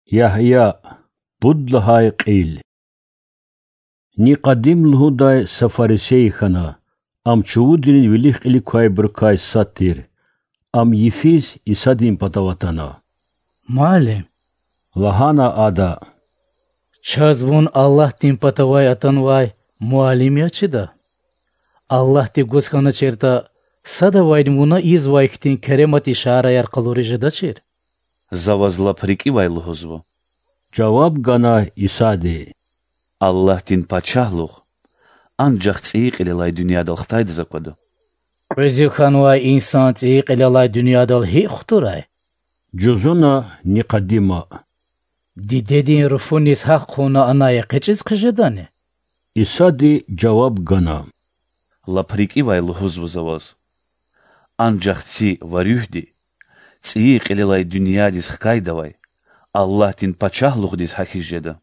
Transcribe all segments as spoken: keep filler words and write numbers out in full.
Ягья, пуд лагьай кьил. Никъодим лугьудай са фарисей хьана, ам чувудрин вилик-кьилик квайбурукай сад тир. Ам йифиз Исадин патав атана. Муаллим, лагьана ада, чаз Вун Аллагьдин патавай атанвай муаллим яз чида. Аллагьди гуз хьаначиртӏа, садавайни Вуна ийизвай хьтин керемат ишараяр къалуриз жедачир. За ваз лап рикӏивай лугьузва, жаваб гана Исади, Аллагьдин Пачагьлугъ анжах цӏийи кьилелай дуьньядал хтайдаз аквада. Кьуьзуь хьанвай инсан цӏийи кьилелай дуьньядал гьикӏ хтурай? Жузуна Никъодима. Дидедин руфуниз гьахъ хъувуна анай экъечӏиз хъижедани? Исади жаваб гана, лап рикӏивай лугьузва за ваз, анжах ци ва руьгьди цӏийи кьилелай дуьньядиз хкайдавай Аллагьдин Пачагьлугъдиз гьахьиз жеда.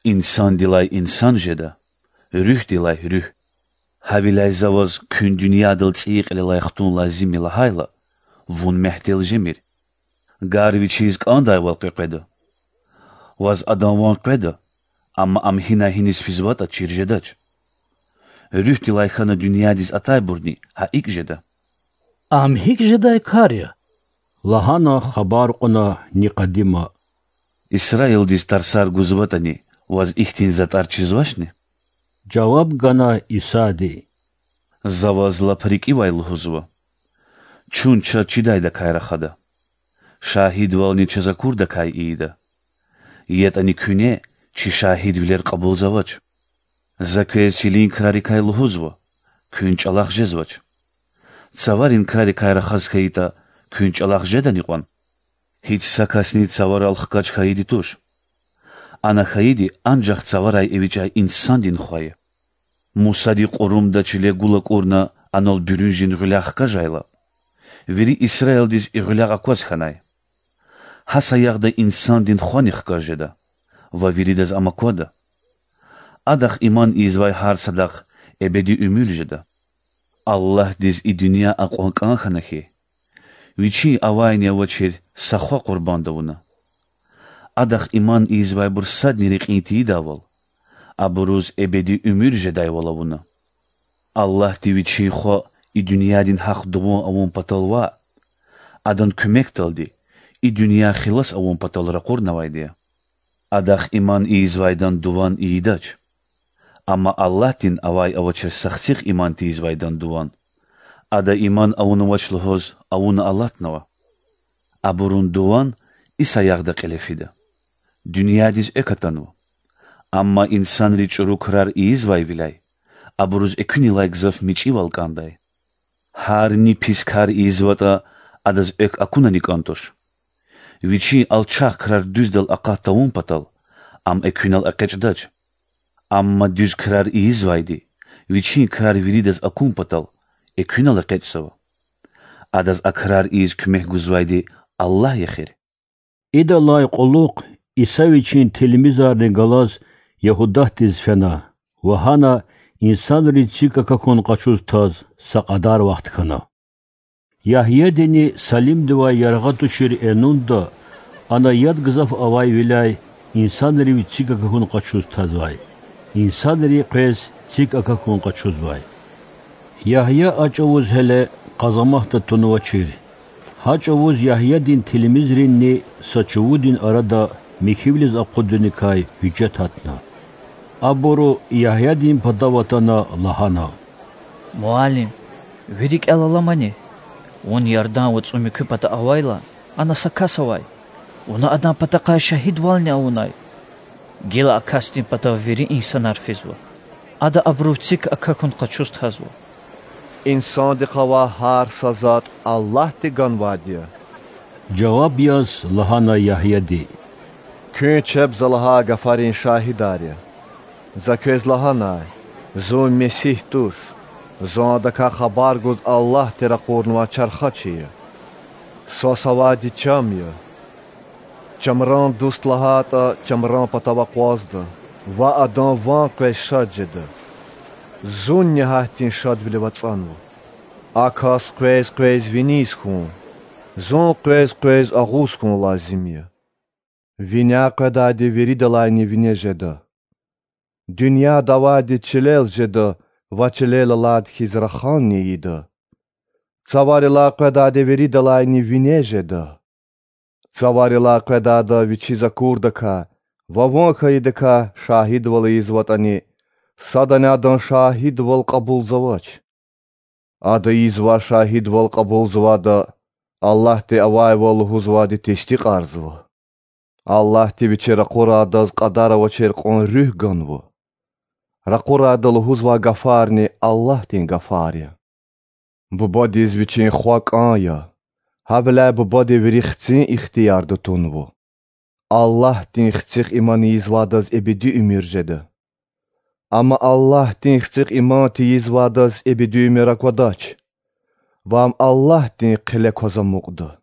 Инсандилай инсан жеда, руьгьдилай руьгь. Гьавиляй за ваз куьн дуьньядал цӏийи кьилелай хтун лазим я лагьайла, вун мягьтел жемир. Гар вичиз кӏандайвал къекъведа. Ваз адан ван къведа, амма ам гьинай гьиниз физватӏа чир жедач. Руьгьдилай хьана дуьньядиз атайбурни гьа икӏ жеда. Ам гьикӏ жедай кар я? лагьана хабар кьуна Никъодима. Исраилдиз тарсар гузватӏани, ваз ихьтин затӏар чизвачни? Жаваб гана Исади, за ваз лап рикӏивай лугьузва, чун чаз чидайдакай рахада, шагьидвални чаз акурдакай ийида. ЯтӀани куьне чи шагьидвилер кьабулзавач. За квез чилин крарикай лугьузва, куьн чӀалахъ жезвач. Цаварин крарикай рахаз хьайитӀа, куьн чӀалахъ жедани кьван? Гьич са касни цаварал хкаж хьайиди туш. Ана хьайиди анжах цаварай эвичӀай инсандин Хва я. Мусади кьурумда чиле гул акӀурна анал буьруьнжин гъуьлягъ хкажайла, вири Исраилдиз и гъуьлягъ акваз хьанай. Гьа саягъда инсандин Хвани хкаж жеда ва виридаз ам аквада. Адахъ иман ийизвай гьар садахъ эбеди уьмуьр жеда. Аллагьдиз и дуьнья акьван кӀан хьана хьи, Вичин авайни-авачир са Хва къурбанд авуна. Адахъ иман ийизвайбур садни рекьин тийидайвал, абуруз эбеди уьмуьр жедайвал авуна. Аллагьди Вичин Хва и дуьньядин гьахъ дуван авун патал ваъ, Адан куьмекдалди и дуьнья хилас авун патал ракъурнавайди я. Адахъ иман ийизвайдан дуван ийидач. Амма Аллагьдин авай-авачир са Хцихъ иман тийизвайдан дуван, ада иман авунвач лугьуз, авуна алатнава. Абурун дуван и саягъда кьиле фида: дуьньядиз экв атанва. Амма инсанри чӀуру крар ийизвайвиляй, абуруз экуьнилай гзаф мичӀивал кӀандай. Гьар ни пис кар ийизватӀа, адаз экв акунани кӀан туш. Вичин алчах крар дуьздал акъат тавун патал, ам экуьнал экъечӀдач. Амма дуьз крар ийизвайди вичин крар виридаз акун патал, экуьнал экъечӀзава. Адаз а крар ийиз куьмек гузвайди Аллагь я эхир. Идалай кьулухъ Иса Вичин тилмизарни галаз Ягьудатдиз фена ва гьана инсанри цик акахьун къачуз таз са кьадар вахт хьана. Ягьядини Салимдивай яргъа тушир Энунда ана яд гзаф авайвиляй инсанрив цик акахьун къачуз тазвай, инсанри къвез цик акахьун къачузвай. Ягья а чӀавуз гьеле къазаматда тунвачир. Гьа чӀавуз Ягьядин тилмизринни са чувудин арада михьивилиз акъудуникай гьуьжет гьатна. Абуру Ягьядин патав атана лагьана: Муаллим, ви рикӀел аламани? Вун Ярдан вацӀун муькуь пата авайла, ана са кас авай, вуна адан патахъай шагьидвални авунай. Гила а касдин патав вири инсанар физва. Ада абурув цик акахьун къачуз тазва. Инсандихъ авай гьар са затӀ Аллагьди ганвайди я,— жаваб яз лагьана Ягьяди. Куьн чеб за лагьай гафарин шагьидар я. За квез лагьанай: Зун Месигь туш, Зун Адакай хабар гуз Аллагьди ракъурнавай чархачи я. Свас авайди чам я. Чамран дуст лагьайтӀа, чамран патав акъвазда ва адан ван къвез шад жеда. Зунни гьахьтин шадвилив ацӀанва. А кас къвез-къвез виниз хьун, Зун къвез-къвез агъуз хьун лазим я. Виняй къведайди виридалайни вине жеда. Дуьньяда авайди чилел жеда ва чилел алайди хьиз раханни ийида. Цаварилай къведайди виридалайни вине жеда. Цаварилай къведайда вичиз акурдакай ва ван хьайидакай шагьидвал ийизватӀани, садани адан шагьидвал кьабулзавач. Ада ийизвай шагьидвал кьабулзавайда Аллагьди авайвал лугьузвайди тестикьарзава. Аллагьди Вичи ракъурайдаз кьадар авачир кьван Руьгь ганва. Ракъурайда лугьузвай гафарни Аллагьдин гафар я. Бубадиз Вичин Хва кӀан я, гьавиляй Бубади вири Хцин ихтиярда тунва. Аллагьдин Хцихъ иман ийизвайдаз эбеди уьмуьр жеда. Амма Аллагьдин Хцихъ иман тийизвайдаз эбеди уьмуьр аквадач, ва ам Аллагьдин хъиле кваз амукьда.